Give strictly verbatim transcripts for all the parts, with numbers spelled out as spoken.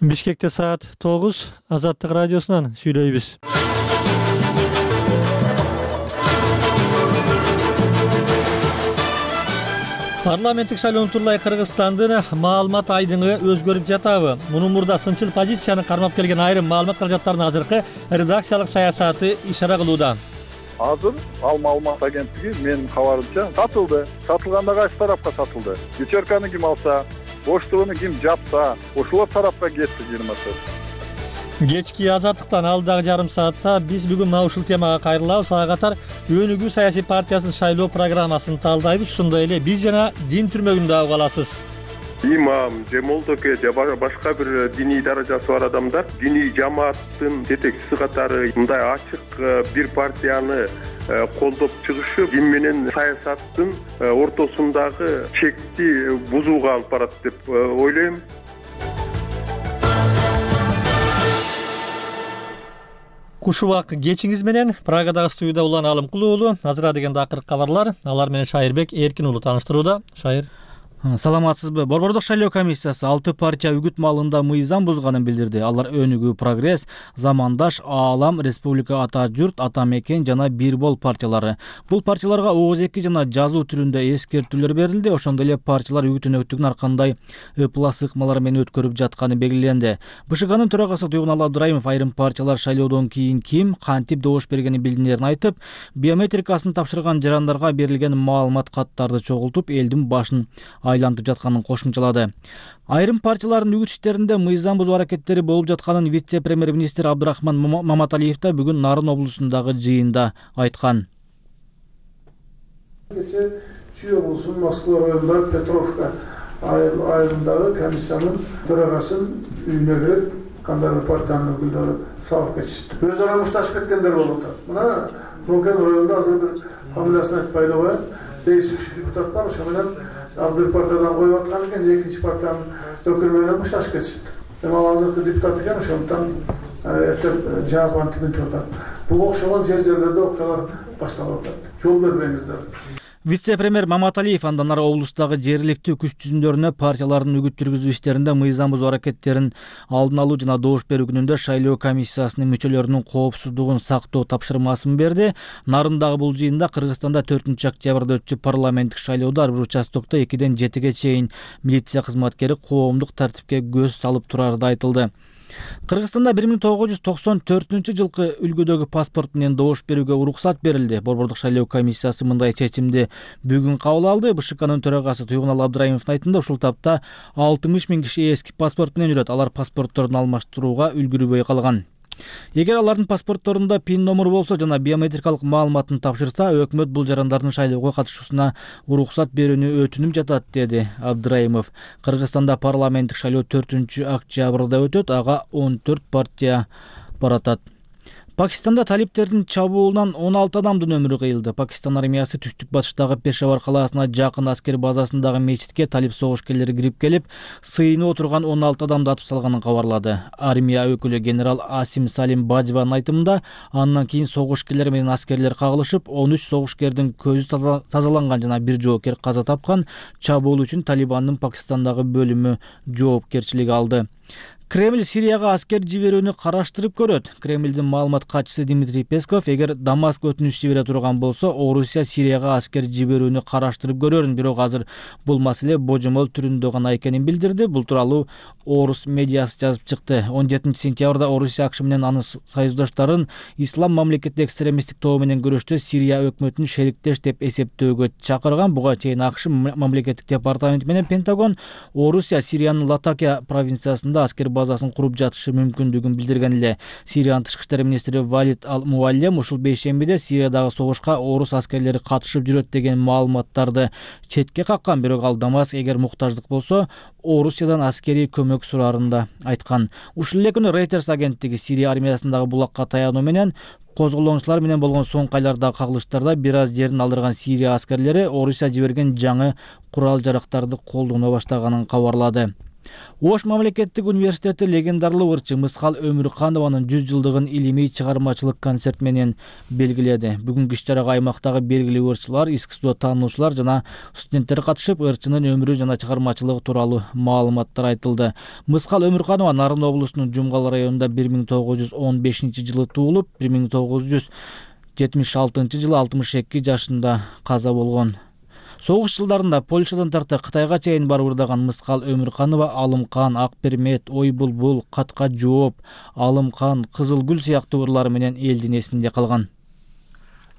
Бишкекте саат тогуз, Азаттык радиосунан сүйлөйбүз. Парламенттик шайлоо турулай Кыргызстандын маалымат айдыңы өзгөрүп жатабы? Мунун мурда сынчыл позицияны кармап келген айрым маалымат каражаттарынын азыркы редакциялык саясаты ишара кылууда. Азыр ал маалымат агенттиги менин кабарымча сатылды. Сатылганда кайсы тарапка сатылды? Вечерканы ким алса, Поштовуну ким жапса, ошолор тарапка кетти жыйырмасы. Кечки Азаттыктан алдагы жарым саатта биз бүгүн мына ушул темага кайрылабыз. Ага катар Өнүгүү саясий партиясынын шайлоо программасын талдайбыз. Ошондой эле биз жана дин түрмөгүндө угуп каласыз. Имам же молдоке же башка бир диний даражасы бар адамдар диний жамааттын жетекчиси катары мындай ачык бир партияны колдоп чыгышы дин менен саясаттын ортосундагы чекти бузууга алып барат деп ойлойм. Кушубак кечиңиз менен Прагадагы студияда Улан Алымкулуу уулу. Азыр дегенде акыркы кабарлар. Алар менен Шайырбек Эркин уулу тааныштырууда. Шайыр. Саламатсызбы? Борбордук шайлоо комиссиясы алты партия үгүт маалында мыйзам бузганын билдирди. Алар Өнүгүү, Прогресс, Замандаш, Аалам, Республика Ата журт, Ата мекен жана Бир бол партиялары. Бул партияларга ооз эки жана жазуу түрүндө эскертүүлөр берилди. Ошондой эле партиялар үгүт өнөктүгүн ар кандай ыплас ыкмалар менен өткөрүп жатканы белгиленди. БШКнын төрагасы Туйгунал Абдырайымов айрым партиялар шайлоодон кийин ким, кантип добуш бергенин билдинерин айтып, биометрикасын тапшырган жарандарга берилген маалымат каттарды чогултуп, элдин башын айлантып жатканын кошумчалады. Айрым партиялардын үгүт иштеринде мыйзам бузуу аракеттери болуп жатканын вице-премьер-министр Абдрахман Маматалиев да бүгүн Нарын облусундагы жыйында айткан. Кече Чүй облусунун Москва районундагы Петровка айылындагы комиссиянын төрагасын үйүнө кирип, кандайдыр партиянын өкүлдөрү сабап кетишти. Өз ара мушташып кеткендер болуп атат. Мына Нокен районунда азыр бир фамилиясын айтпай эле коеюн, действующий депутат бар, ошо менен ал бир партиядан коюп аткан экен, экинчи партиянын өкүлү менен мушташып кетишти. Эми ал азыркы депутат экен, ошондуктан эртең жаап антип атат. Буга окшогон жер жерлерде окуялар башталып атат. Жол бербеңиздер. Вице-премьер Маматалиев андан ары облустагы жергиликтүү күч түзүмдөрүнө партиялардын үгүт жүргүзүү иштеринде мыйзам бузуу аракеттерин алдын алуу жана добуш берүү күнүндө шайлоо комиссиясынын мүчөлөрүнүн коопсуздугун сактоо тапшырмасын берди. Нарындагы бул жыйында Кыргызстанда төртүнчү октябрда өтчү парламенттик шайлоодо ар бир участокто экиден жетиге чейин милиция кызматкери коомдук тартипке көз салып турары да айтылды. Кыргызстанда бир миң тогуз жүз токсон төртүнчү жылкы үлгүдөгү паспорт менен добуш берүүгө уруксат берилди. Борбордук шайлоо комиссиясы мындай чечимди бүгүн кабыл алды. БШКнын төрагасы Туйгунал Абдырайымовдун айтымында ушул тапта алтымыш миң киши эски паспорт менен жүрөт. Алар паспортторун алмаштырууга үлгүрбөй калган. Эгер алардын паспортторунда пин номер болсо жана биометрикалык маалыматын тапшырса, өкмөт бул жарандардын шайлоого катышуусуна уруксат берүүнү өтүнүп жатат, деди Абдырайымов. Кыргызстанда парламенттик шайлоо төртүнчү октябрда өтөт, ага он төрт партия баратат. Пакистанда талиптердин чабуулунан он алты адамдын өмүрү кыйылды. Пакистан армиясы түштүк батыштагы Пешавар калаасына жакын аскер базасындагы мечитке талип согушкерлери кирип келип, сыйынып отурган он алты адамды атып салганын кабарлады. Армия өкүлү генерал Асим Салим Бажванын айтымында, андан кийин согушкерлер менен аскерлер кагылышып, он үч согушкердин көзү тазаланган жана бир жоокер каза тапкан. Чабуул үчүн Талибандын Пакистандагы бөлүмү жоопкерчилик алды. Кремль Сирияга аскер жиберүүнү караштырып көрөт. Кремлдин маалымат катчысы Дмитрий Песков, эгер Дамаск өтүнүч жибере турган болсо, Орусия Сирияга аскер жиберүүнү караштырып көрөрүн, бирок азыр бул маселе божомол түрүндө гана экенин билдирди. Бул тууралуу Орус медиасы жазып чыкты. он жетинчи сентябрда Орусия АКШ менен анын союздаштарын Ислам мамлекети экстремисттик тобу менен күрөштө Сирия өкмөтүн шериктеш деп эсептөөгө чакырган. Буга чейин АКШ мамлекеттик департаменти менен Пентагон Орусия Сириянын Латакия провинциясында аскер базасын куруп жатышы мүмкүндүгүн билдирген эле. Сириянын тышкы иштер министри Валид Ал-Муаллем ушул бейшембиде Сириядагы согушка орус аскерлери катышып жүрөт деген маалыматтарды четке каккан, бирок ал Дамаск эгер муктаждык болсо Орусиядан аскерий көмөк сураарын да айткан. Ушул эле күнү Reuters агенттиги Сирия армиясындагы булакка таянуу менен козголоончулар менен болгон соңку айлардагы кагылыштарда бир аз жерин алдырган Сирия аскерлери Орусия жиберген жаңы курал-жарактарды колдоно баштаганын кабарлады. Ош мамлекеттик университети легендарлуу ырчы Мыскал Өмүрканованын жүз жылдыгын илимий чыгармачылык концерт менен белгиледи. Бүгүнкү иш-чарага аймактагы белгилүү ырчылар, искусство таануучулар жана студенттер катышып, ырчынын өмүрү жана чыгармачылыгы тууралуу маалыматтар айтылды. Мыскал Өмүрканова Нарын облусунун Жумгал районунда бир миң тогуз жүз он бешинчи жылы туулуп, бир миң тогуз жүз жетимиш алтынчы жылы алтымыш эки жашында каза болгон. Согуш жылдарында Польшадан тарта Кытайга чейин барып ырдаган Мыскал Өмүрканова Алымкан, Ак Пермет, Ой Булбул, Катка жооп, Алымкан, Кызыл гүл сыяктуу ырлары менен элдин эсинде калган.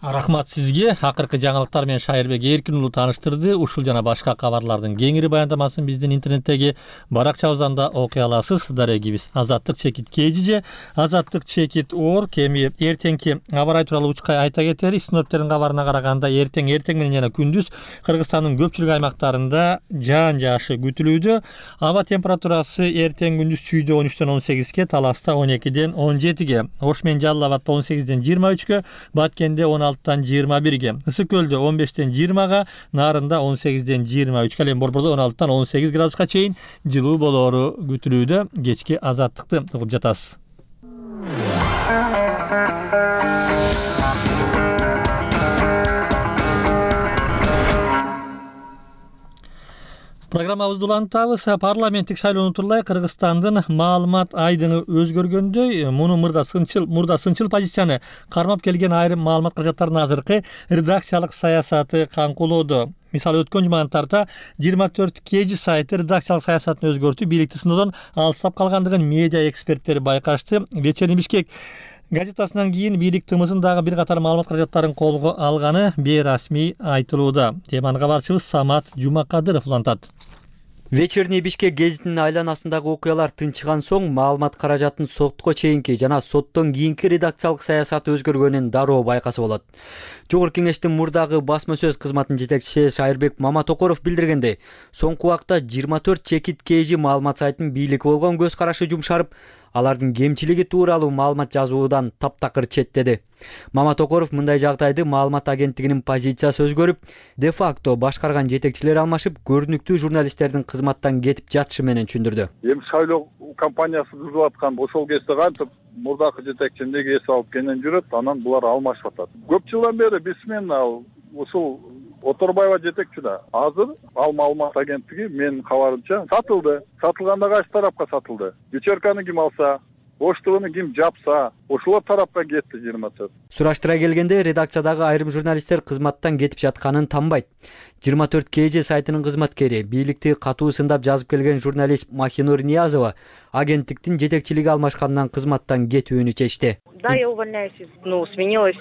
Рахмат сизге. Акыркы жаңылыктар менен Шайырбек Эркин уулу тааныштырды. Ушул жана башка кабарлардын кеңири баяндамасын биздин интернеттеги баракчабыздан да окуй аласыз. Дарегибиз Азаттык чекит кежиже, Азаттык чекит оор кеми эртеңки абар ай тууралуу учкай айта кетери. Синоптиктердин кабарына караганда эртең эртең менен жана күндүз Кыргызстандын көпчүлүк аймактарында жаан жаашы күтүлүүдө. Аба температурасы эртең күндүз Чүйдө он үчтөн он сегизге, Таласта он экиден он жетиге, Ош менен Жалал Абадта он сегизден жыйырма үчкө, Баткенде он алтыдан жыйырма бирге, Ысык көлдө он бештен жыйырмага, Нарында он сегизден жыйырма үчкө, ал эми Борбордо он алтыдан он сегиз градуска чейин жылуу болоору күтүлүүдө. Кечки азаттыкты угуп жатасыз. Программабызды улантабыз. Парламенттик шайлоону тууралай Кыргызстандын маалымат айдыңы өзгөргөндөй, муну мурда сынчыл мурда сынчыл позицияны кармап келген айрым маалымат каражаттарынын азыркы редакциялык саясаты каңкулоодо. Мисалы өткөн жумадан тарта жыйырма төрт кежи сайты редакциялык саясатын өзгөртүп, бийликти сыноодон алыстап калгандыгын медиа эксперттери байкашты. Вечерний Бишкек газетасынан кийин бийлик тымызын дагы бир катар маалымат каражаттарын колго алганы бейрасмий айтылууда. Теманы кабарчыбыз Самат Жумакадыров улантат. Вечерний Бишкек гезитинин айланасындагы окуялар тынчыган соң маалымат каражатын сотко чейинки жана соттон кийинки редакциялык саясаты өзгөргөнүн дароо байкаса болот. Жогорку кеңештин мурдагы басма сөз кызматынын жетекчиси Шайырбек Маматокоров билдиргендей, соңку убакта жыйырма төрт чекит кежи маалымат сайтынын бийликке болгон көз карашы жумшарып, алардын кемчилиги тууралуу маалымат жазуудан таптакыр четтеди. Маматокоров мындай жагдайды маалымат агенттигинин позициясы өзгөрүп, де факто башкарган жетекчилер алмашып, көрүнүктүү журналисттердин кызматтан кетип жатышы менен түшүндүрдү. Эми шайлоо кампаниясы түзүлүп аткан ошол кезде кантип мурдакы жетекчи эмнеге эс алып кенен жүрөт, анан булар алмашып атат. Көп жылдан бери биз менен ал ушул Оторбаева жетекчи да. Азыр ал маалымат агенттиги менин кабарымча сатылды. Сатылганда кайсы тарапка сатылды? Вечерканы ким алса, Оштугуну ким жапса, ошолор тарапка кетти жыйырма төрт. Сураштыра келгенде редакциядагы айрым журналисттер кызматтан кетип жатканын танбайт. жыйырма төрт кежи сайтынын кызматкери, бийликти катуу сындап жазып келген журналист Махинур Ниязова агенттиктин жетекчилиги алмашкандан кызматтан кетүүнү чечти. Да, я увольняюсь, ну, сменилось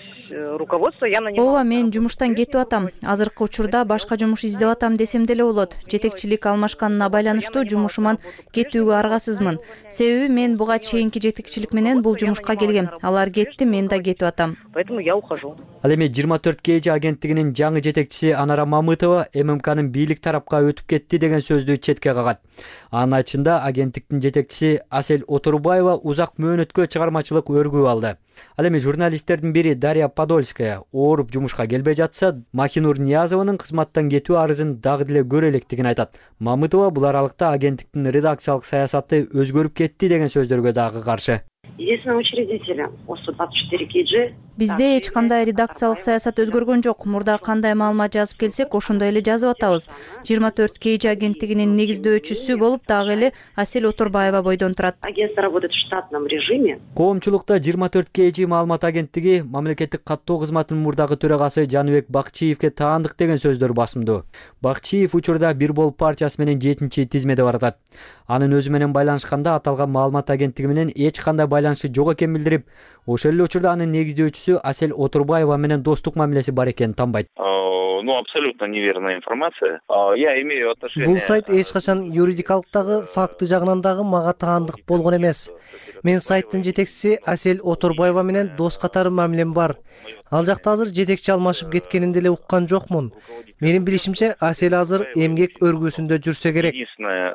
руководство, я нанимала. Ооба, мен жумуштан кетип атам. Азыркы учурда башка жумуш издеп атам десем деле болот. Жетекчилик алмашканына байланыштуу жумушуман кетүүгө аргасызмын. Себеби мен буга чейинки жетекчилик менен бул жумушка келгем. Алар кетти, мен да кетип атам. Поэтому я ухожу. Ал эми жыйырма төрт кежи агенттигинин жаңы жетекчиси Анара Мамытова ММКнын бийлик тарапка өтүп кетти деген сөздү четке кагат. Анын айтышында агенттиктин жетекчиси Асель Оторбаева узак мөөнөткө чыгармачылык өргүү алды. Ал эми журналисттердин бири Дарья Подольская ооруп жумушка келбей жатса, Махинур Ниязованын кызматтан кетүү арызын дагы деле көрө электигин айтат. Мамытова бул аралыкта агенттиктин редакциялык саясаты өзгөрүп кетти деген сөздөргө дагы каршы. Единственный учредитель О сто двадцать четыре кей Бизде эч кандай редакциялык саясат өзгөргөн жок. Мурда кандай маалымат жазып келсек, ошондой эле жазып атабыз. жыйырма төрт кей агенттигинин негиздөөчүсү болуп дагы эле Асель Оторбаева бойдон турат. Агентство работает в штатном режиме. Коомчулукта жыйырма төрт кей маалымат агенттиги мамлекеттик каттоо кызматынын мурдагы төрагасы Жаныбек Бакчиевке таандык деген сөздөр басымдуу. Бакчиев учурда Бир Бол партиясы менен жетинчи тизмеде баратат. Анын өзү менен байланышканда аталган маалымат агенттиги менен эч кандай байланышы жок экенин билдирип, ошол эле учурда анын негиздөөчүсү Асель Оторбаева менен достук мамилеси бар экенин танбайт. Ну, абсолютно неверная информация. Я имею отношение... Бул сайт эч качан юридикалыктагы факты жагынан дагы мага таандык болгон эмес. Мен сайттын жетекчиси Асель Оторбаева менен дос катары мамилем бар. Ал жакта азыр жетекчи алмашып кеткенин деле уккан жокмун. Менин билишимче, Асель азыр эмгек өргүсүндө жүрсө керек. Единственное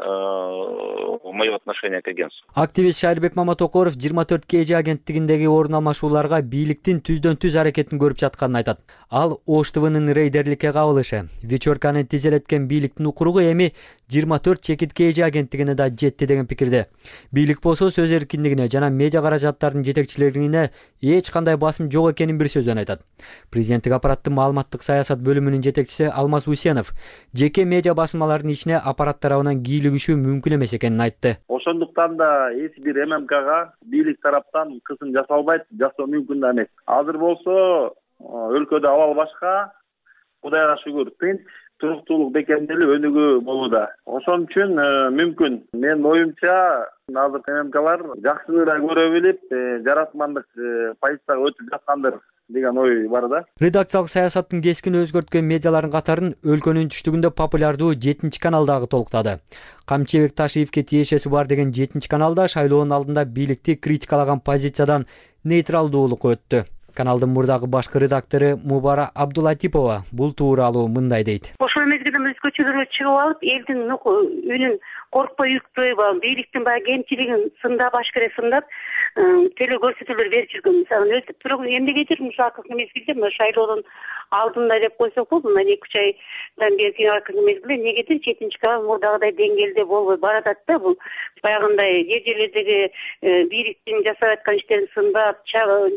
мое отношение к агентству. Активист Шайырбек Маматокоров жыйырма төрт кей же агенттигиндеги орун алмашууларга бийликтин түздөн түз аракетин көрүп жатканын айтат. Ал Ош Т В'нын рейдерликке кабылышы, вечерканы тизелеткен бийликтин укуругу эми жыйырма төрт чекит кей же агенттигине да жетти деген пикирде. Бийлик болсо сөз эркиндигине жана медиа каражаттардын жетекчилигине эч кандай басым жок экенин бир сөздөн айтат. Президенттик аппараттын маалыматтык саясат бөлүмүнүн жетекчиси Алмаз Усенов жеке медиа басмалардын ичине аппарат тарабынан кийлигишүү мүмкүн эмес экенин айтты. Ошондуктан да эч бир эм эм кга бийлик тараптан кысым жасалбайт, жасоо мүмкүн да эмес. Азыр болсо өлкөдө абал башка, Кудайга шүгүр, тынч, туруктуулук бекемделип өнүгүү болууда. Ошон үчүн мүмкүн. Менин оюмча, азыр эм эм калар жакшыраак көрө билип, жаратмандык позицияга өтүп жаткандыр деген ой бар да. Редакциялык саясаттын кескин өзгөрткөн медиалардын катарын өлкөнүн түштүгүндө популярдуу жетинчи канал дагы толуктады. Камчыбек Ташиевке тиешеси бар деген жетинчи каналда шайлоонун алдында бийликти критикалаган позициядан нейтралдуулукка өттү. Каналдын мурдагы башкы редактору Мубара Абдулатипова бул тууралуу мындай дейт. Ошол мезгилде көчөлөргө чыгып алып, элдин үнүн коркпой үктөй, бийликтин баягы кемчилигин сындап, ашкере сындап, теле көрсөтүүлөр берип жүргөн. Мисалы, бирок эмнегедир ушул акыркы мезгилде шайлоонун алдында деп койсок болот, мына эки үч айдан берки акыркы мезгилде эмнегедир жетинчи канал мурдагыдай деңгээлде болбой баратат да. Бул баягындай жер жерлердеги бийликтин жасап аткан иштерин сындап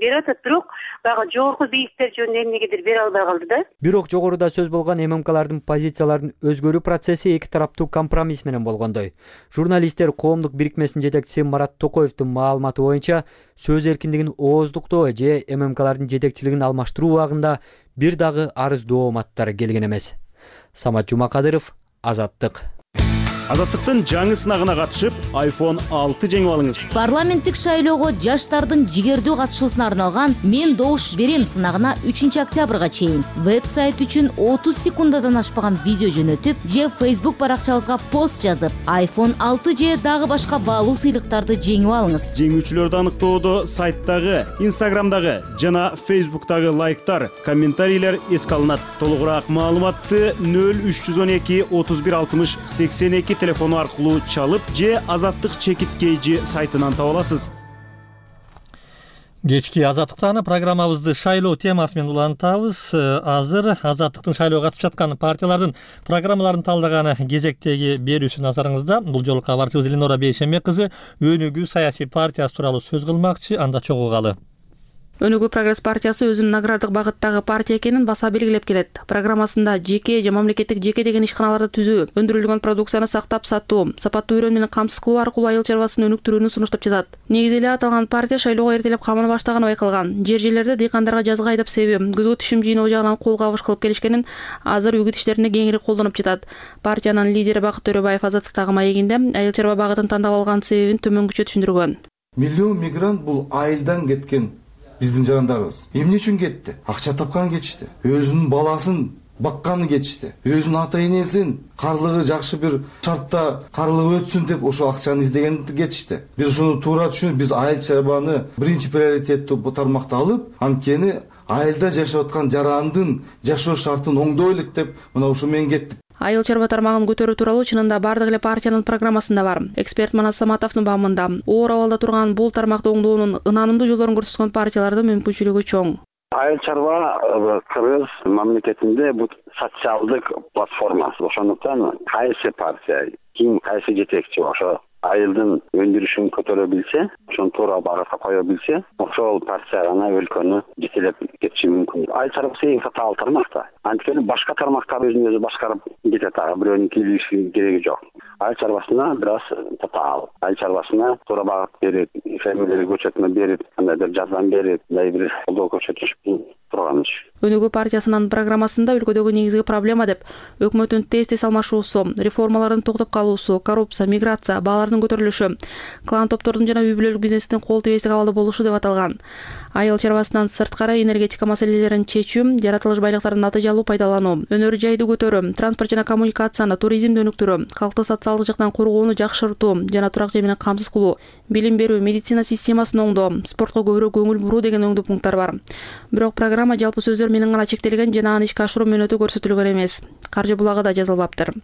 берип атат, бирок баягы жогорку бийликтер жөнүндө эмнегедир бере албай калды да. Бирок жогоруда сөз болгон эм эм калардын позицияларын өзгөрүү процесси эки тараптуу компромисс менен болгондой. Журналисттер коомдук бирикмесинин жетекчиси Марат Токоевдун маалыматы боюнча, сөз эркиндигин ооздуктоо же эм эм калардын жетекчилигин алмаштыруу убагында бир дагы арыз дооматтар келген эмес. Самат Жумакадыров, Азаттык. Азаттыктын жаңы сынагына катышып, айфон алты жеңип алыңыз. Парламенттик шайлоого жаштардын жигердүү катышуусуна арналган «Мен добуш берем» сынагына үчүнчү октябрга чейин веб-сайт үчүн отуз секундадан ашпаган видео жөнөтүп же Facebook баракчабызга пост жазып, айфон алты же дагы башка баалуу сыйлыктарды жеңип алыңыз. Жеңүүчүлөрдү аныктоодо сайттагы, Instagramдагы жана Facebook'тагы лайктар, комментарийлер эске алынат. Толугураак маалыматты нөл үч жүз он эки отуз бир алтымыш сексен эки телефону аркылуу чалып же Азаттык чекит кейжи сайтынан таба аласыз. Кечки Азаттыктаны программабызды шайлоо темасы менен улантабыз. Азыр Азаттыктын шайлоого катышып жаткан партиялардын программаларын талдаганы кезектеги берүүсү назарыңызда. Бул жолу кабарчыбыз Эленора Бейшембек кызы Өнүгүү саясий партиясы тууралуу сөз кылмакчы, анда чогулгалы. Өнүгүү прогресс партиясы өзүнүн награддык багыттагы партия экенин баса белгилеп келет. Программасында жеке же мамлекеттик жеке деген ишканаларды түзүү, өндүрүлгөн продукцияны сактап сатуу, сапаттуу үйрөн менен камсыз кылуу аркылуу айыл чарбасын өнүктүрүүнү сунуштап жатат. Негизи эле аталган партия шайлоого эртелеп камына баштаганы байкалган. Жер жерлерде дыйкандарга жазга айдап себүү, күзгү түшүм жыйноо жагынан кол кабыш кылып келишкенин азыр үгүт иштеринде кеңири колдонуп жатат. Партиянын лидери Бакыт Төрөбаев Азаттыктагы маегинде айыл чарба багытын тандап алган себебин төмөнгүчө түшүндүргөн. Миллион мигрант бул айылдан кеткен биздин жарандарыбыз. Эмне үчүн кетти? Акча тапкан кетишти. Өзүнүн баласын бакканы кетишти. Өзүнүн ата энесин карлыгы жакшы бир шартта карлыгы өтсүн деп ошол акчаны издеген кетишти. Биз ушуну туура түшүнүп, биз айыл чарбаны биринчи приоритеттүү тармакта алып, анткени айылда жашап аткан жарандын жашоо шартын оңдойлук деп мына ушу менен кеттик. Айыл чарба тармагын көтөрүү тууралуу чынында бардык эле партиянын программасында бар. Эксперт Манас Саматовдун баамында оор абалда турган бул тармакты оңдоонун ынанымдуу жолдорун көрсөткөн партиялардын мүмкүнчүлүгү чоң. Айыл чарба кыргыз мамлекетинде бул социалдык платформа. Ошондуктан кайсы партия, ким кайсы жетекчи ошо айылдын өндүрүшүн көтөрө билсе, ошону туура багытка кое билсе, ошол партия гана өлкөнү жетелеп кетиши мүмкүн. Айыл чарбасы эң татаал тармак да. Анткени башка тармактар өзүн өзү башкарып кетет, ага бирөөнүн кийлигиши кереги жок. Айыл чарбасына бир аз татаал. Айыл чарбасына туура багыт берип, фермерлерге көчөтмө берип, кандайдыр жардам берип, мындай бир колдоо көрсөтүш турган иш. Өнүгүү партиясынын программасында өлкөдөгү негизги проблема деп өкмөттүн тез тез алмашуусу, реформалардын токтоп калуусу, коррупция, миграция, баалардын көтөрүлүшү, клан топтордун жана үй бүлөлүк бизнестин кол тийбестик абалда болушу деп аталган. Айыл чарбасынан сырткары энергетика маселелерин чечүү, жаратылыш байлыктарын натыйжалуу пайдалануу, өнөр жайды көтөрүү, транспорт жана коммуникацияны, туризмди өнүктүрүү, калкты социалдык жактан коргоону жакшыртуу жана турак жай менен камсыз кылуу, билим берүү, медицина системасын оңдоо, спортко көбүрөөк көңүл буруу деген оңдуу пункттар бар. Бирок программа жалпы сөздөр менен гана чектелген жана аны ишке ашыруу мөөнөтү көрсөтүлгөн эмес. Каржы булагы да жазылбаптыр.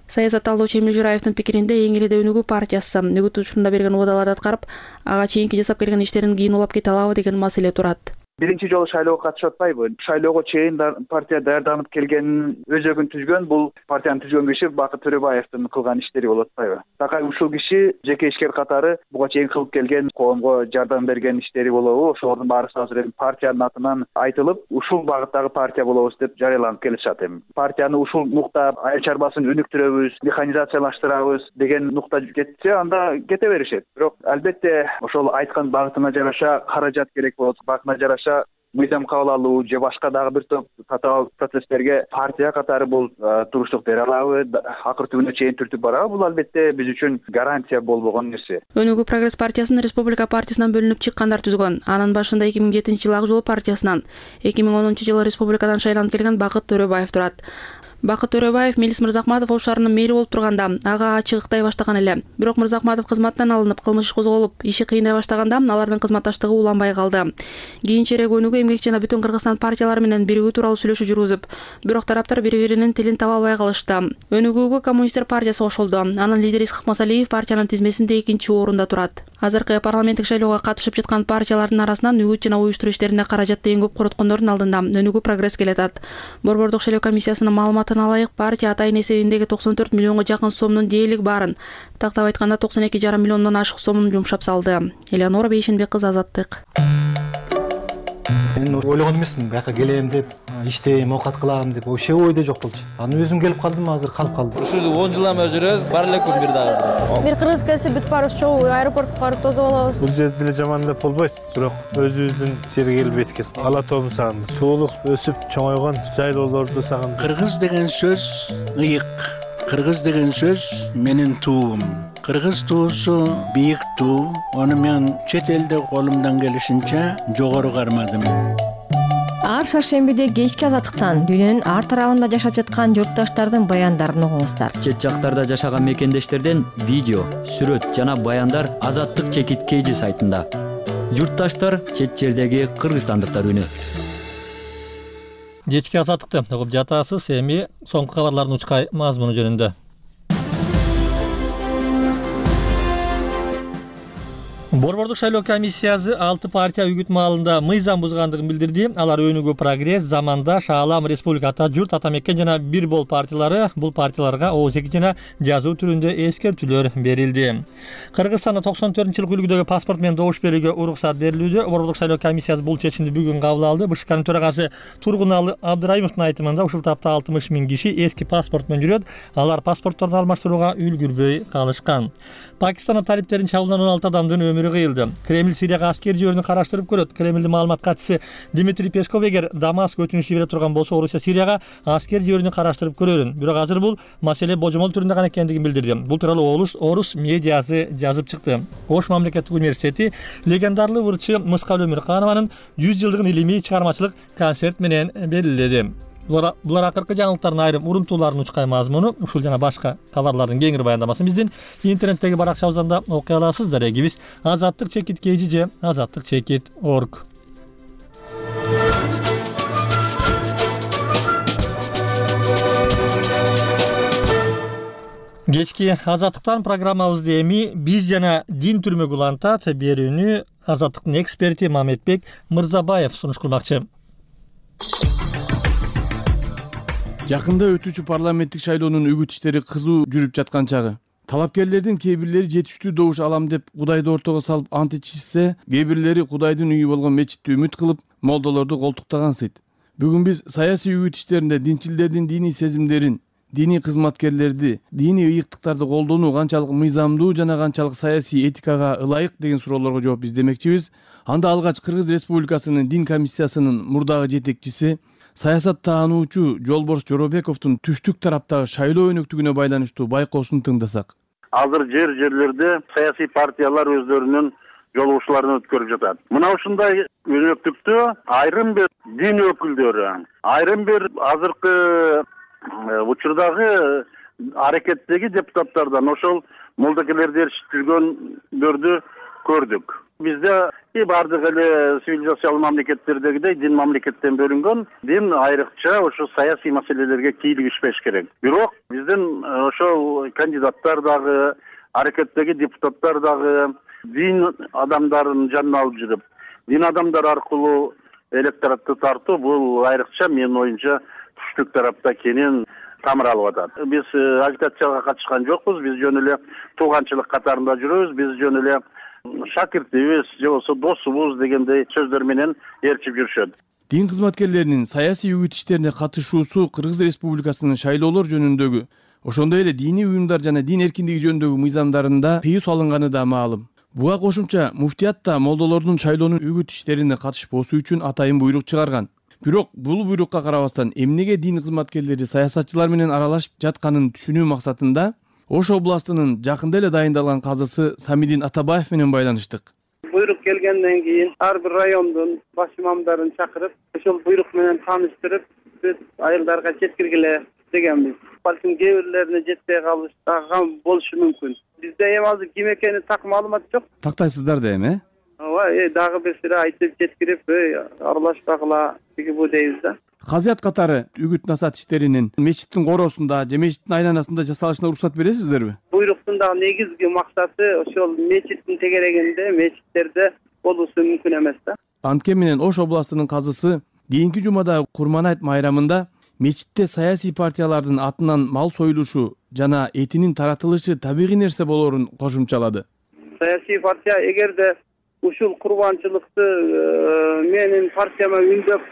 Саясат талдоочу Эмил Жураевдин пикиринде эң эле өнүгүү партиясы үгүт учурунда берген убадаларды аткарып, ага чейинки жасап келген иштерин кийин улап кете алабы деген маселе турат. Биринчи жолу шайлоого катышып атпайбы? Шайлоого чейин партия даярданып келгенин өзөгүн түзгөн, бул партияны түзгөн киши Бакыт Төрөбаевдин кылган иштери болуп атпайбы? Такай ушул киши жеке ишкер катары буга чейин кылып келген, коомго жардам берген иштери болобу? Ошолордун баары азыр эми партиянын атынан айтылып, ушул багыттагы партия болобуз деп жарыяланып келишат эми. Партияны ушул нукта айыл чарбасын өнүктүрөбүз, механизациялаштырабыз деген нукта кетсе, анда кете беришет. Бирок албетте ошол айткан багытына жараша каражат керек болот, багытына жараша мыйзам кабыл алуу же башка дагы бир топ татаал процесстерге партия катары бул туруштук бере алабы, акыр түбүнө чейин түртүп барабы? Бул албетте биз үчүн гарантия болбогон нерсе. Өнүгүү прогресс партиясын Республика партиясынан бөлүнүп чыккандар түзгөн. Анын башында эки миң жетинчи жылы Ак жол партиясынан, эки миң онунчу жылы республикадан шайланып келген Бакыт Төрөбаев турат. Бакыт Төрөбаев Мелис Мырзакматов ош шаарынын мэри болуп турганда ага чыгыктай баштаган эле. Бирок Мырзакматов кызматтан алынып, кылмыш козголуп, иши кыйындай баштаганда алардын кызматташтыгы уланбай калды. Кийинчерээк Өнүгүү, Эмгек жана Бүтүн Кыргызстан партиялары менен биригүү тууралуу сүйлөшүү жүргүзүп, бирок тараптар бири-биринин тилин таба албай калышты. Өнүгүүгө Коммунисттер партиясы кошулду. Анын лидери Исхак Масалиев партиянын тизмесинде экинчи орунда турат. Азыркы парламенттик шайлоого катышып жаткан партиялардын арасынан үгүт жана уюштуруу иштерине каражатты эң көп короткондордун алдында Өнүгүү прогресс келатат. Борбордук шайлоо комиссиясынын маалыматына ылайык, партия атайын эсебиндеги токсон төрт миллионго жакын сомдун дээрлик баарын, тактап айтканда токсон эки жарым миллиондон ашык сомун жумшап салды. Элеонора Бейшенбек кызы, Азаттык. Мен ойлогон эмесмин, бияка келем деп, иштейм, оокат кылам деп, вообще ойдо жок болчу. Аны өзүм келип калдым, азыр калып калдым. Ушул он жылдан бери жүрөбүз, бар эле күн бир дагы. Бир кыргыз келсе бүт барыбыз чогуу аэропортко барып тосуп алабыз. Бул жерде деле жаман деп болбойт, бирок өзүбүздүн жерге келип эткил. Ала тоомду сагындым. Туулуп, өсүп, чоңойгон жайлоолорду сагындым. Кыргыз деген сөз ыйык. Кыргыз деген сөз менин туум. Кыргыз туусу бийик туу. Аны мен чет элде колумдан келишинче жогору кармадым. Ар шаршембиде кечки Азаттыктан дүйнөнүн ар тарабында жашап жаткан журтташтардын баяндарын угуңуздар. Чет жактарда жашаган мекендештерден видео, сүрөт жана баяндар Азаттык чекит кейжи сайтында. Журтташтар чет жердеги кыргызстандыктар үнү. Кечки Азаттыкты угуп жатасыз. Эми соңку кабарлардын учкай мазмуну жөнүндө. Борбордук шайлоо комиссиясы алты партия үгүт маалында мыйзам бузгандыгын билдирди. Алар Өнүгүү, Прогресс, Заманда, Шаалам, Республика, Ата журт, Ата мекен жана Бир бол партиялары. Бул партияларга ооз эки жана жазуу түрүндө эскертүүлөр берилди. Кыргызстанда токсон төртүнчү жылкы үлгүдөгү паспорт менен добуш берүүгө уруксат берилүүдө. Борбордук шайлоо комиссиясы бул чечимди бүгүн кабыл алды. БШКнын төрагасы Тургуналы Абдырайымовдун айтымында ушул тапта алтымыш миң киши эски паспорт менен жүрөт. Алар паспортторду алмаштырууга үлгүрбөй калышкан. Пакистанда талиптердин чабуулдан он алты адамдын өмүрү кыйылды. Кремль Сирияга аскер жиберүүнү караштырып көрөт. Кремлдин маалымат катчысы Дмитрий Песков эгер Дамаск өтүнүч жибере турган болсо, Орусия Сирияга аскер жиберүүнү караштырып көрөрүн. Бирок азыр бул маселе божомол түрүндө гана экендигин билдирди. Бул тууралуу Орус Орус медиасы жазып чыкты. Ош мамлекеттик университети легендарлуу ырчы Мыскал Өмүрканованын жүз жылдыгын илимий чыгармачылык концерт менен белгиледи. Булар акыркы жаңылыктардын айрым урунтууларын учкай мазмуну, ушул жана башка кабарлардын кеңири баяндамасын биздин интернеттеги баракчабыздан да окуй аласыз. Дарегибиз азаттык чекит kg же азаттык чекит точка орг. Кечки Азаттыктан программабызды эми биз жана дин түрмөгү улантат берүүнү Азаттыктын эксперти Мамедбек Мырзабаев сунуш кылмакчы. Жакында өтүүчү парламенттик шайлоонун үгүт иштери кызуу жүрүп жаткан чагы. Талапкерлердин кээ бирлери жетиштүү добуш алам деп Кудайды ортого салып ант ичишсе, кээ бирлери Кудайдын үйү болгон мечитти үмүт кылып, молдолорду колтуктаган сыйт. Бүгүн биз саясий үгүт иштеринде динчилдердин диний сезимдерин диний кызматкерлерди, диний ыйыктыктарды колдонуу канчалык мыйзамдуу жана канчалык саясий этикага ылайык деген суроолорго жооп издемекчибиз. Анда алгач Кыргыз Республикасынын дин комиссиясынын мурдагы жетекчиси, саясат таануучу Жолборс Жоробековдун түштүк тараптагы шайлоо өнөктүгүнө байланыштуу байкоосун тыңдасак. Азыр жер жерлерде саясий партиялар өздөрүнүн жолугушууларын өткөрүп жатат. Мына ушундай өнөктүктү айрым бир дин өкүлдөрү, айрым бир азыркы учурдагы аракеттеги депутаттардан ошол молдокелерди эрiştиргөндөрдү көрдүк. Бизде бардык эле цивилизациялуу мамлекеттердегидей дин мамлекеттен бөлүнгөн, дин айрыкча ошо саясий маселелерге кийлигишпеш керек. Бирок биздин ошол кандидаттар дагы, аракеттеги депутаттар дагы дин адамдарын жанына алып жүрүп, дин адамдар аркылуу электоратты тартуу бул айрыкча менин оюмча түштүк тарапта кенен тамыр алып атат. Биз агитацияга катышкан жокпуз, биз жөн эле тууганчылык катарында жүрөбүз, биз жөн эле шакиртибиз же болбосо досубуз дегендей сөздөр менен ээрчип жүрүшөт. Дин кызматкерлеринин саясий үгүт иштерине катышуусу Кыргыз Республикасынын шайлоолор жөнүндөгү, ошондой эле диний уюмдар жана дин эркиндиги жөнүндөгү мыйзамдарында тыюу салынганы да маалым. Буга кошумча муфтият да молдолордун шайлоонун үгүт иштерине катышпоосу үчүн атайын буйрук чыгарган. Бирок бул буйрукка карабастан эмнеге дин кызматкерлери саясатчылар менен аралашып жатканын түшүнүү максатында Ош областынын жакында эле дайындалган казысы Самидин Атабаев менен байланыштык. Буйрук келгенден кийин ар бир райондун баш имамдарын чакырып, ошол буйрук менен тааныштырып, биз айылдарга жеткиргиле дегенбиз. Балким кээ бирлерине жетпей калыштаган болушу мүмкүн. Бизде эми азыр ким экени так маалымат жок. Тактайсыздар да эми, э? Ооба, э дагы бир сире айтып жеткирип, аралашпагыла деги бу дейбиз да. Казыят катары үгүт насаат иштеринин мечиттин коросунда же мечиттин айланасында жасалышына уруксат бересиздерби? Буйруктун дагы негизги максаты ошол мечиттин тегерегинде, мечиттерде болуусу мүмкүн эмес да. Антке менен Ош областынын казысы кийинки жумада Курманайт майрамында мечитте саясий партиялардын атынан мал союлушу жана этинин таратылышы табигый нерсе болоорун кошумчалады. Саясий партия эгерде ушул курбанчылыкты менин партияма үндөп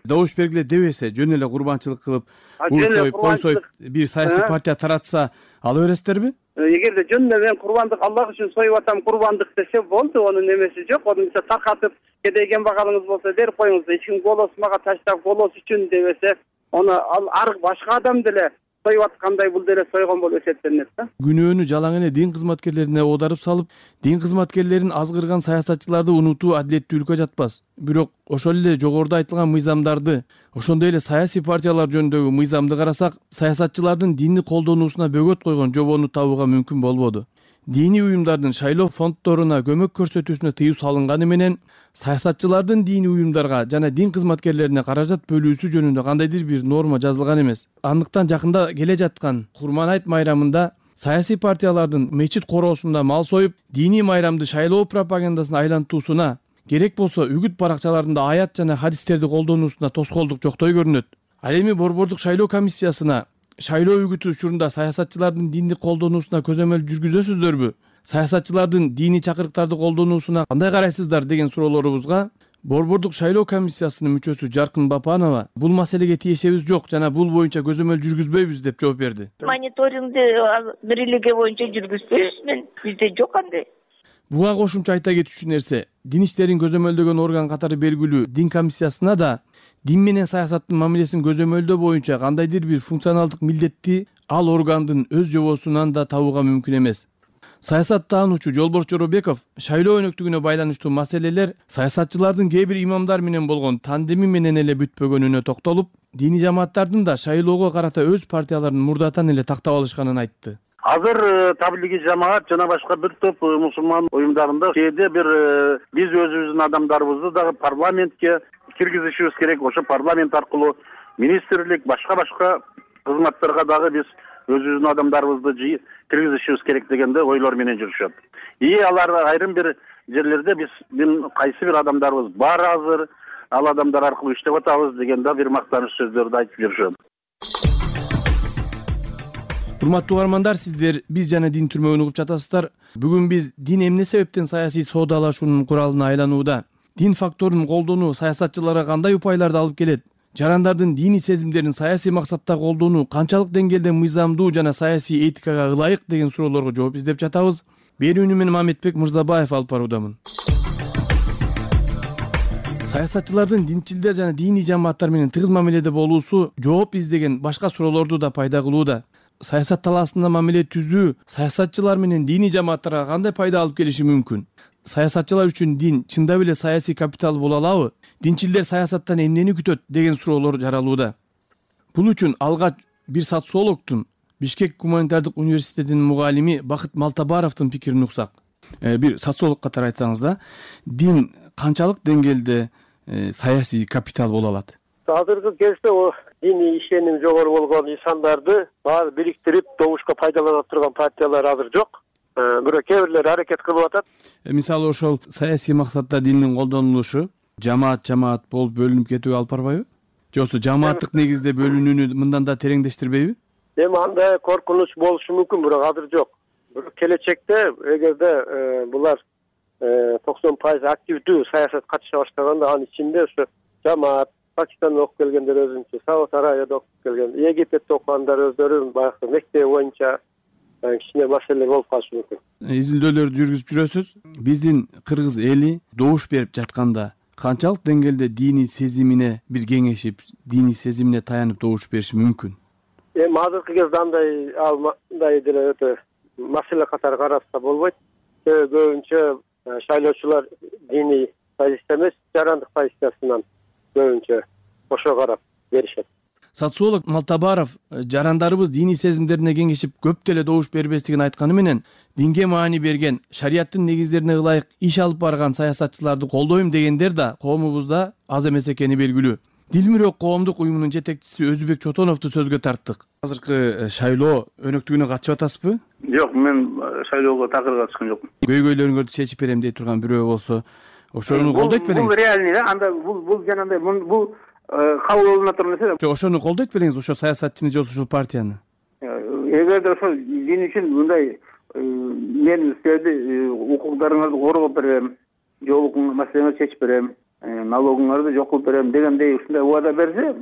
добуш бергиле дебесе, жөн эле курбанчылык кылып, ур союп, кой союп бир саясий партия таратса, ала бересиздерби? Эгерде жөн эле мен курбандык Аллах үчүн союп атам, курбандык десе болду, анын немеси жок. Onu таркатып, кедей кембагалыңыз болсо берип коюңуз, эч ким голос мага таштап голос үчүн дебесе, аны ар башка адам деле союп аткандай бул деле сойгон болуп эсептелинет да. Күнөөнү жалаң эле дин кызматкерлерине оодарып салып, дин кызматкерлерин азгырган саясатчыларды унутуу адилеттүүлүккө жатпас. Бирок ошол эле жогоруда айтылган мыйзамдарды, ошондой эле саясий партиялар жөнүндөгү мыйзамды карасак, саясатчылардын динни колдонуусуна бөгөт койгон жобону табууга мүмкүн болбоду. Диний уюмдардын шайлоо фонддоруна көмөк көрсөтүүсүнө тыюу салынганы менен саясатчылардын диний уюмдарга жана дин кызматкерлерине каражат бөлүүсү жөнүндө кандайдыр бир норма жазылган эмес. Андыктан жакында келе жаткан Курманайт майрамында саясий партиялардын мечит короосунда мал союп, диний майрамды шайлоо пропагандасына айлантуусуна, керек болсо үгүт баракчаларында аят жана хадистерди колдонуусуна тоскоолдук жоктой көрүнөт. Ал эми Борбордук шайлоо комиссиясына шайлоо үгүтү учурунда саясатчылардын динди колдонуусуна көзөмөл жүргүзөсүздөрбү? Саясатчылардын диний чакырыктарды колдонуусуна кандай карайсыздар деген суроолорубузга Борбордук шайлоо комиссиясынын мүчөсү Жаркын Бапанова бул маселеге тиешебиз жок жана бул боюнча көзөмөл жүргүзбөйбүз деп жооп берди. Мониторингди бирилиги боюнча жүргүзбөйбүз, мен бизде жок андай. Буга кошумча айта кетүүчү нерсе, дин иштерин көзөмөлдөгөн орган катары белгилүү дин комиссиясына да дин менен саясаттын мамилесин көзөмөлдөө боюнча кандайдыр бир функционалдык милдетти ал органдын өз жобосунан да табууга мүмкүн эмес. Саясат таануучу Жолборс Жоробеков шайлоо өнөктүгүнө байланыштуу маселелер саясатчылардын кээ бир имамдар менен болгон тандеми менен эле бүтпөгөнүнө токтолуп, диний жамааттардын да шайлоого карата өз партияларын мурдатан эле тактап алышканын айтты. Азыр таблиги жамаат жана башка бир топ мусулман уюмдарында кээде бир биз өзүбүздүн адамдарыбызды дагы парламентке киргизишибиз керек. Ошо парламент аркылуу министрлик, башка башка кызматтарга дагы биз өзүбүздүн адамдарыбызды киргизишибиз керек дегенде ойлор менен жүрүшөт. И алар айрым бир жерлерде биздин кайсы бир адамдарыбыз бар азыр, ал адамдар аркылуу иштеп атабыз дегенде бир мактаныч сөздөрдү айтып жүрүшөт. Урматтуу угармандар, сиздер биз жана дин түрмөгүн угуп жатасыздар. Бүгүн биз дин эмне себептен саясий соодалашуунун куралына айланууда, дин факторун колдонуу саясатчыларга кандай упайларды алып келет жарандардын диний сезимдерин саясий максатта колдонуу канчалык деңгээлде мыйзамдуу жана саясий этикага ылайык деген суроолорго жооп издеп жатабыз. Берүүнү мен Мамедбек Мырзабаев алып баруудамын. Саясатчылардын динчилдер жана диний жамааттар менен тыгыз мамиледе болуусу жооп издеген башка суроолорду да пайда кылууда. Саясат талаасында мамиле түзүү саясатчылар менен диний жамааттарга кандай пайда алып келиши мүмкүн? Саясатчылар үчүн дин чындап эле саясий капитал боло алабы? Динчилдер саясаттан эмнени күтөт деген суроолор жаралууда. Бул үчүн алгач бир социологдун Бишкек гуманитардык университетинин мугалими Бакыт Малтабаровдун пикирин уксак. Бир социолог катары айтсаңыз да, дин канчалык деңгээлде саясий капитал боло алат? Азыркы кезде диний ишеним жогору болгон инсандарды баары бириктирип добушка пайдалана турган партиялар азыр жок. Бирок кээ бирлери аракет кылып атат. Мисалы ошол саясий максатта диндин колдонулушу жамаат жамаат болуп бөлүнүп кетүүгө алып барбайбы? Же болбосо жамааттык негизде бөлүнүүнү мындан да тереңдештирбейби? Эми андай коркунуч болушу мүмкүн, бирок азыр жок. Бирок келечекте эгерде булар токсон пайыз активдүү саясат катыша баштаганда, анын ичинде ошо жамаат, Пакистандан окуп келгендер өзүнчө, Сауд Арабияда окуп келген, Египетте окугандар өздөрү баягы мектеп боюнча кичине маселе болуп калышы мүмкүн. Изилдөөлөрдү жүргүзүп жүрөсүз. Биздин кыргыз эли добуш берип жатканда канчалык деңгээлде диний сезимине бир кеңешип, диний сезимине таянып добуш бериши мүмкүн? Эми азыркы кезде андай андай деле өтө маселе катары караса болбойт. Көбүнчө шайлоочулар диний позиция эмес, жарандык позициясынан көбүнчө ошо карап беришет. Социолог Малтабаров жарандарыбыз диний сезимдерине кеңешип көп деле добуш бербестигин айтканы менен, динге маани берген, шариаттын негиздерине ылайык иш алып барган саясатчыларды колдойм дегендер да коомубузда аз эмес экени белгилүү. Дилмүрөк коомдук уюмунун жетекчиси Өзбек Чотоновду сөзгө тарттык. Азыркы шайлоо өнөктүгүнө катышып атасызбы? Жок, мен шайлоого такыр катышкан жокмун. Көйгөйлөрүңөрдү чечип берем дей турган бирөө болсо, ошону колдойт белеңиз? Бул реальный да, анда бул бул жанагындай бул кабыл болуна турган нерсе. Жок, ошону колдойт белеңиз, ошо саясатчыны же ошол партияны? Эгерде ошол дин үчүн мындай мен силерди укуктарыңарды коргоп берем, жол маселеңерди чечип берем, налогуңарды жок кылып берем дегендей ушундай убада берсе,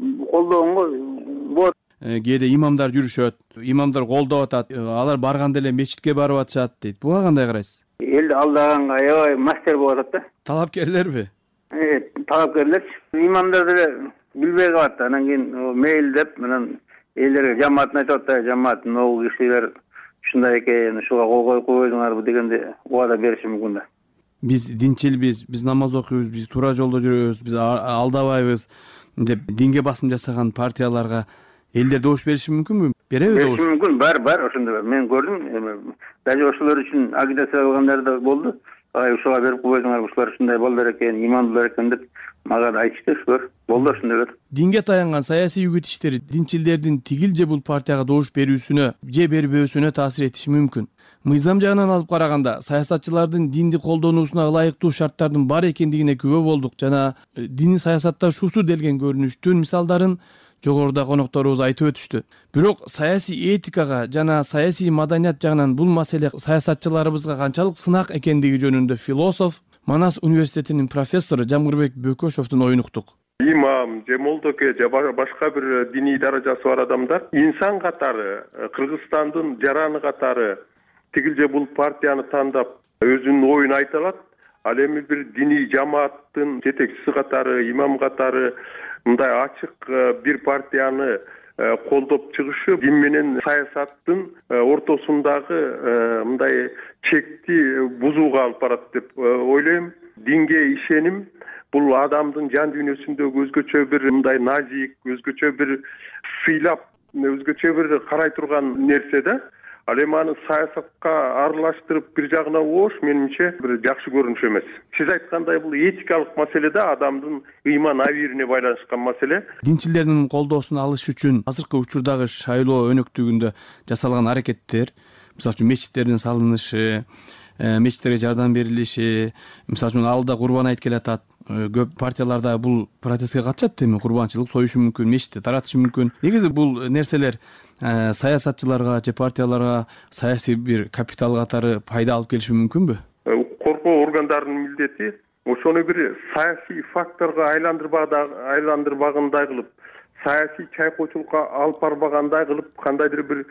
колдооңго болот. Кээде имамдар жүрүшөт, имамдар колдоп атат, алар барганда эле мечитке барып атышат дейт. Буга кандай карайсыз? Элди алдаганга аябай мастер болуп атат да. Талапкерлерби? Э, талапкерлерчи. Имамдар деле билбей калат. Анан кийин мейлдеп менен элдерге жамаатын айтып атат, жамаат могу кишилер ушундай экен, ушуга кол коюп койдуңарбы дегенде убада бериши мүмкүн да. Биз динчилбиз, биз намаз окуйбуз, биз туура жолдо жүрөбүз, биз алдабайбыз деп динге басым жасаган партияларга элдер добуш бериши мүмкүнбү? Береби добуш? Бериши мүмкүн, бар, бар, ошондой бар. Мен көрдүм, даже ошолор үчүн агитация кылгандар да болду. Ай, ушуга берип койдуңар, ушулар ушундай балдар экен, имамдуулар экен деп мага айтышты, ушулар. Болду ошондойлор. Динге таянган саясий үгүт иштери динчилдердин тигил же бул партияга добуш берүүсүнө же бербөөсүнө таасир этиши мүмкүн. Мыйзам жагынан алып караганда, саясатчылардын динди колдонуусуна ылайыктуу шарттардын бар экендигине күбө болдук жана диний саясатташуусу делген көрүнүштүн мисалдарын жогоруда конокторубуз айтып өтүштү. Бирок саясий этикага жана саясий маданият жагынан бул маселе саясатчыларыбызга канчалык сынак экендиги жөнүндө философ, Манас университетинин профессору Жамгырбек Бөкөшовдун оюн уктук. Имам же молдоке же башка бир диний даражасы бар адамдар инсан катары, Кыргызстандын жараны катары тигил же бул партияны тандап өзүнүн оюн айта алат. Ал эми бир диний жамааттын жетекчиси катары, имам катары мындай ачык бир партияны колдоп чыгышы дин менен саясаттын ортосундагы мындай чекти бузууга алып барат деп ойлойм. Динге ишеним бул адамдын жан дүйнөсүндөгү өзгөчө бир мындай назик, өзгөчө бир сыйлап, өзгөчө бир карай турган нерсе да. Ал эми аны саясатка аралаштырып бир жагына оош менимче бир жакшы көрүнүш эмес. Сиз айткандай бул этикалык маселе да, адамдын ыйман абийирине байланышкан маселе. Динчилердин колдоосун алыш үчүн азыркы учурдагы шайлоо өнөктүгүндө жасалган аракеттер, мисалы үчүн мечиттердин салынышы, мечиттерге жардам берилиши, мисалы үчүн алда Курбан айт келатат. Көп партияларда бул протестке катышат, эми курбанчылык союшу мүмкүн, мечитте таратышы мүмкүн. Негизи бул нерселер саясатчыларга же партияларга саясий бир капитал катары пайда алып келиши мүмкүнбү? Коркоо органдарынын милдети ошону бир саясий факторго айландырбагандай кылып, саясий чайкоочулукка алып барбагандай кылып кандайдыр бир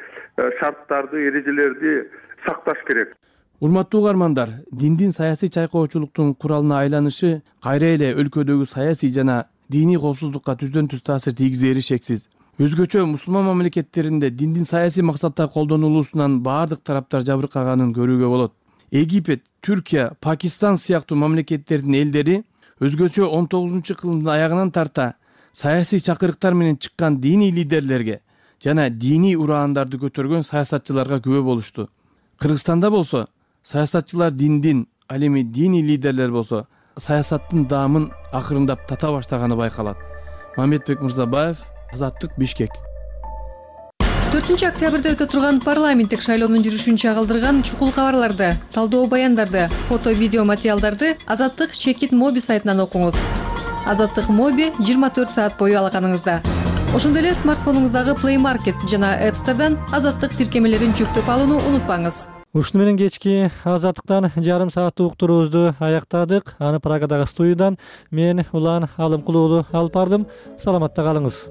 шарттарды, эрежелерди сакташ керек. Урматтуу угармандар, диндин саясий чайкоочулуктун куралына айланышы кайра эле өлкөдөгү саясий жана диний коопсуздукка түздөн түз таасир тийгизери шексиз. Өзгөчө мусулман мамлекеттеринде диндин саясий максатта колдонулуусунан баардык тараптар жабыркаганын көрүүгө болот. Египет, Түркия, Пакистан сыяктуу мамлекеттердин элдери өзгөчө он тогузунчу кылымдын аягынан тарта саясий чакырыктар менен чыккан диний лидерлерге жана диний ураандарды көтөргөн саясатчыларга күбө болушту. Кыргызстанда болсо саясатчылар диндин, ал эми диний лидерлер болсо саясаттын даамын акырындап тата баштаганы байкалат. Мамедбек Мырзабаев, Азаттык, Бишкек. төртүнчү октябрда өтө турган парламенттик шайлоонун жүрүшүн чагылдырган чукул кабарларды, талдоо баяндарды, фото видео материалдарды Азаттык Чекит Моби сайтынан окуңуз. Азаттык Моби жыйырма төрт саат бою алаканыңызда. Ошондой эле смартфонуңуздагы Play Market жана App Store'дан Азаттык тиркемелерин жүктөп алууну унутпаңыз. Ушуну менен кечки Азаттыктан жарым сааттык уктуруубузду аяктадык. Аны Прагадагы студиядан мен Улан Алымкулуу алып бардым. Саламатта калыңыз.